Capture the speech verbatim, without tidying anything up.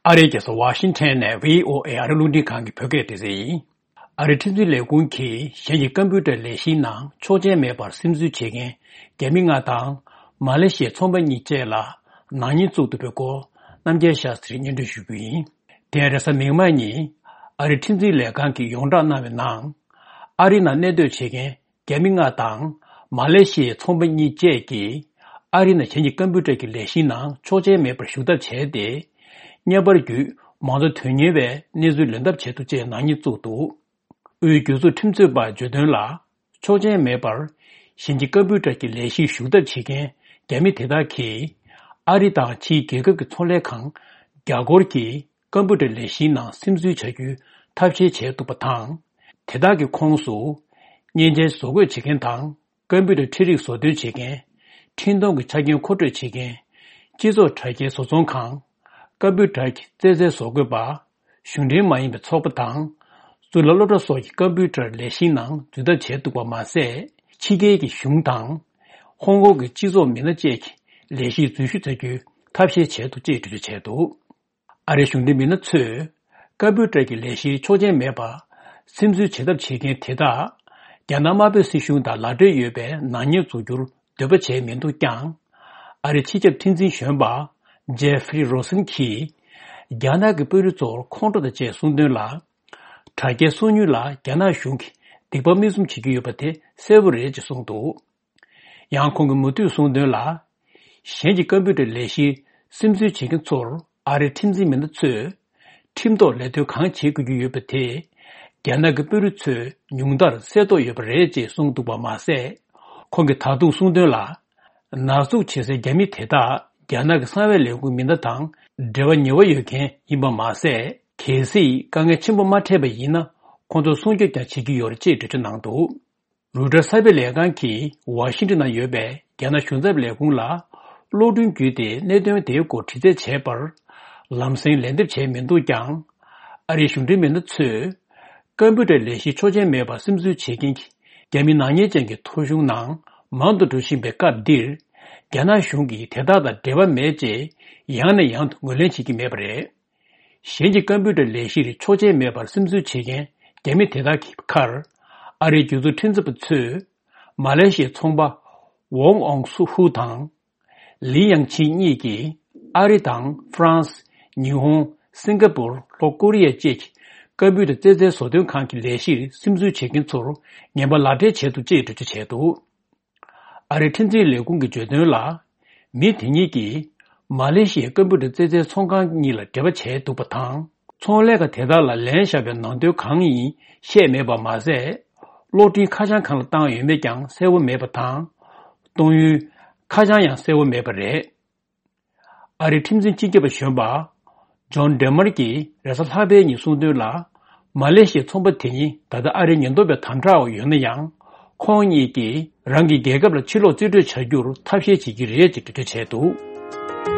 ཨ་རིའི་རྒྱལ་ས་ཝ་ཤིང་ཐན་ནས་བྷི་ཨོ་ཨེ་ཨ་རི་རླུང་འཕྲིན་ཁང་གི་བོད་སྐད་སྡེ་ཚན་ཡིན། ཨ་རིའི་ཁྲིམས་འཛིན་ལས་ཁུངས་ཀྱིས་གཞན་གྱི་ཀམ་པུ་ཊར་ལས་གཞིའི་ནང་ཆོག་མཆན་མེད་པར་སིམ་འཛུལ་བྱེད་མཁན་རྒྱ་མི་ལྔ་དང་མ་ལེ་ཤི་ཡའི་ཚོང་པ་གཉིས་བཅས་ལ་ནག་ཉེས་བཙུགས་འདུག་པའི་སྐོར་རྣམ་རྒྱལ་ཤཱ་སྟྲིས་སྙན་སྒྲོན་ཞུ་རྒྱུ་ཡིན། དེ་རེས་གཟའ་མིག་དམར་ཉིན་ཨ་རིའི་ཁྲིམས་འཛིན་ལས་ཁང་གིས་ཡོངས་བསྒྲགས་གནང་བའི་ནང་། ཨ་རིའི་ནང་གནས་སྡོད་བྱེད་མཁན་རྒྱ་མི་ལྔ་དང་མ་ལེ་ཤི་ཡའི་ཚོང་པ་གཉིས་བཅས་ཀྱིས་ཨ་རིའི་ནང་གཞན་གྱི་ཀམ་པུ་ཊར་གྱི་ལས་གཞིའི་ནང་ཆོག་མཆན་མེད་པར་ཞུགས་ཐབས་བྱས་ཏེ། བརྙན་པར་བརྒྱུད་མང་གཙོ་དོན་གཉེར་བའི་གནས་ཚུལ་ལེན་ཐབས་བྱས་འདུག་ཅེས་ནག་ཉེས་བཙུགས་འདུག་དབུས་སྒེར་ཚུགས་ཁྲིམས་རྩོད་པ་བརྗོད་དོན་ལ། ཆོག་མཆན་མེད་པར་གཞན་གྱི་ཀམ་པུ་ཊར་གྱི་ལས་གཞིར་ཞུགས་ཐབས་བྱེད་མཁན་རྒྱ་མི་དེ་དག་གིས་ཨ་རི་དང་ཕྱིའི་རྒྱལ་ཁབ་ཀྱི་ཚོང་ལས་ཁང་རྒྱ་སྒོར་གྱི་ཀམ་པུ་ཊར་ལས་གཞིའི་ནང་སིམ་འཛུལ་བྱ་རྒྱུའི་ཐབས་ཤེས་བྱས་འདུག་པ་དང་། དེ་དག་གི་ཁོངས་སུ། མཉེན་ཆས་བཟོ་འགོད་བྱེད་མཁན་དང་། ཀམ་པུ་ཊར་འཕྲིན་རིགས་བཟོ་སྟོན་བྱེད་མཁན། འཕྲིན་གཏོང་གི་ཆ་རྐྱེན་མཁོ་སྤྲོད་བྱེད་མཁན། སྤྱི་ཚོགས་དྲ་རྒྱའི་བཟོ་ཚོང་ཁང་། ཀམ་པུ་ཊར་གྱི་རྩེད་རྩལ་བཟོ་འགོད་པ། གཞུང་འབྲེལ་མ་ཡིན་པའི་ཚོགས་པ་དང་། གཙུག་ལག་སློབ་གྲྭ་སོགས་ཀྱི་ཀམ་པུ་ཊར་ལས་གཞིའི་ནང་འཛུལ་ཐབས་བྱས་འདུག་པ་མ་ཟད། ཕྱི་རྒྱལ་གྱི་གཞུང་དང་། ཧོང་ཀོང་གི་སྤྱི་ཚོགས་མི་སྣ་བཅས་ཀྱི་ལས་གཞིར་འཛུལ་ཞུགས་བྱ་རྒྱུའི་ཐབས་ཤེས་བྱས་འདུག་ཅེས་འགྲེལ་བརྗོད་བྱས་འདུག་ཨ་རིའི་གཞུང་འབྲེལ་མི་སྣ་ཚོས་ཀམ་པུ་ཊར་གྱི་ལས་གཞིར་ཆོག་མཆན་མེད་པར་སིམ་འཛུལ་བྱེད་ཐབས་བྱེད་མཁན་དེ་དག་རྒྱ་ནག་དམར་པོའི་སྲིད་གཞུང་དང་ལག་འབྲེལ་ཡོད་པའི་ནག་ཉེས་འཛུགས་རྒྱུར་འདོད་པ་བྱས་མི་འདུག་ཀྱང་། ཨ་རིའི་སྤྱི་ཁྱབ་ཁྲིམས་འཛིན་གཞོན་པ་ཇེ་ཧྥི་རི་རོ་སན་གྱིས། རྒྱ་ནག་གི་དཔོན་རིགས་ཚོར་ཁོང་ཁྲོ་དང་བཅས་གསུངས་དོན་ལ། དྲ་རྒྱའི་སོ་ཉུལ་ལ་རྒྱ་ནག་གཞུང་གིས་སྡིག་པ་མིག་བཙུམ་བྱེད་ཀྱི་ཡོད་པ་དེ་གསལ་པོ་རེད་ཅེས་གསུངས་འདུག་ཡང་ཁོང་གིས་མུ་མཐུད་གསུངས་དོན་ལ། གཞན་གྱི་ཀམ་པུ་ཊར་ལས་གཞིར་སིམ་འཛུལ་བྱེད་མཁན་ཚོར་ཨ་རིའི་ཁྲིམས་འཛིན་མི་སྣ་ཚོས་ཁྲིམས་ཐོག་ལས་དོན་གང་བྱེད་དགོས་ཀྱི་ཡོད་པ་དེ། རྒྱ་ནག་གི་དཔོན་རིགས་ཚོས་ཉུང་མཐར་གསལ་རྟོགས་ཡོད་པ་རེད་ཅེས་གསུངས་འདུག་པ་མ་ཟད། ཁོང་གིས་ད་དུང་གསུངས་དོན་ལ། ནག་འཛུགས་བྱེད་སའི་རྒྱ་མི་དེ་དག་རྒྱ་ནག་གི་གསང་བའི་ལས་ཁུངས་མི་སྣ་དང་འབྲེལ་བ་ཉེ་བ་ཡོད་མཁན་ཡིན་པ་མ་ཟད། གལ་སྲིད་དཀའ་ངལ་ཆེན་པོ་མ་འཕྲད་པ་ཡིན་ན་ཁོང་ཚོར་སྲུང་སྐྱོབ་ཀྱང་བྱེད་ཀྱི་ཡོད་རེད་ཅེས་འགྲེལ་བརྗོད་གནང་འདུག་རོའི་ཊར་གསར་སྤེལ་ལས་ཁང་གིས་ཝ་ཤིང་ཊོན་ནང་ཡོད་པའི་རྒྱ་ནག་གཞུང་ཚབ་ལས་ཁུངས་ལ་གློག་འཕྲིན་བརྒྱུད་དེ་གནད་དོན་དེའི་སྐོར་དྲི་རྩད་བྱས་པར། ལམ་སེང་ལན་འདེབས་བྱས་མི་འདུག་ཀྱང་། ཨ་རིའི་གཞུང་འབྲེལ་མི་སྣ་ཚོས། ཀམ་པུ་ཊར་ལས་གཞིའི་ཆོག་མཆན་མེད་པར་སིམ་འཛུལ་བྱེད་མཁན་གྱི་རྒྱ་མི་ནག་ཉེས་ཅན་གྱི་ཐོ་གཞུང་ནང་མང་དུ་འགྲོ་བཞིན་པའི་སྐབས་འདིར། རྒྱ་ནག་གཞུང་གིས་དེ་དག་དང་འབྲེལ་བ་མེད་ཅེས་ཡང་ནས་ཡང་དུ་ངོས་ལེན་བྱེད་ཀྱི་མེད་པ་རེད། གཞན་གྱི་ཀམ་པུ་ཊར་ལས་གཞིར་ཆོག་མཆན་མེད་པར་སིམ་འཛུལ་བྱེད་མཁན་རྒྱ་མི་དེ་དག་གི་ཁར། ཨ་རིའི་སྒེར་ཚུགས་ཁྲིམས་རྩོད་པ་ཚོས། མ་ལེ་ཤི་ཡའི་ཚོང་པ། ཝོང་ཨོང་སུ་ཧུ་དང་། ལི་ཡང་ཆིན་གཉིས་ཀྱིས། ཨ་རི་དང་ཧྥ་རན་སི། ཉི་ཧོང་། སིང་ག་པུར། ལྷོ་ཀོ་རི་ཡ་བཅས་ཀྱི་ཀམ་པུ་ཊར་རྩེད་རྩལ་བཟོ་སྟོན་ཁང་གི་ལས་གཞིར་སིམ་འཛུལ་བྱེད་མཁན་ཚོར་ངན་པ་ལག་སྦྲེལ་བྱས་འདུག་ཅེས་འགྲེལ་བརྗོད་བྱས་འདུག་ཨ་རིའི་ཁྲིམས་འཛིན་ལས་ཁུངས་ཀྱིས་བརྗོད་དོན་ལ། མི་དེ་གཉིས་ཀྱིས་མ་ལེ་ཤི་ཡའི་ཀམ་པུ་ཊར་རྩེད་རྩལ་ཚོང་ཁང་གཉིས་ལ་འབྲེལ་བ་བྱས་འདུག་པ་དང་། ཚོང་ལས་ཁང་དེ་དག་ལ་ལན་བཞག་པའི་ནང་དོན་གང་ཡིན་བཤད་མེད་པ་མ་ཟད། གློག་འཕྲིན་ཁ་བྱང་གང་ལ་བཏང་ཡོད་མེད་ཀྱང་གསལ་བོ་མེད་པ་དང་། གཏོང་ཡུལ་ཁ་བྱང་ཡང་གསལ་བོ་མེད་པ་རེད། ཨ་རིའི་ཁྲིམས་འཛིན་སྤྱི་ཁྱབ་པ་གཞོན་པ། ཇོན་ཌེ་མར་གྱིས་རེས་གཟའ་ལྷག་པའི་ཉིན་གསུངས་དོན་ལ། མ་ལེ་ཤི་ཡའི་ཚོང་པ་དེ་ཉིད་ད་ལྟ་ཨ་རིའི་ཉེན་རྟོག་པའི་དམ་དྲག་འོག་ཡོད་ན་ཡང་། ཁོང་གཉིས་ཀྱིས་རང་གི་རྒྱལ་ཁབ་ལ་ཕྱིར་ལོག་རྩིས་སྤྲོད་བྱ་རྒྱུར་ཐབས་ཤེས་བྱེད་ཀྱི་རེད་ཅེས་འགྲེལ་བརྗོད་བྱས་འདུག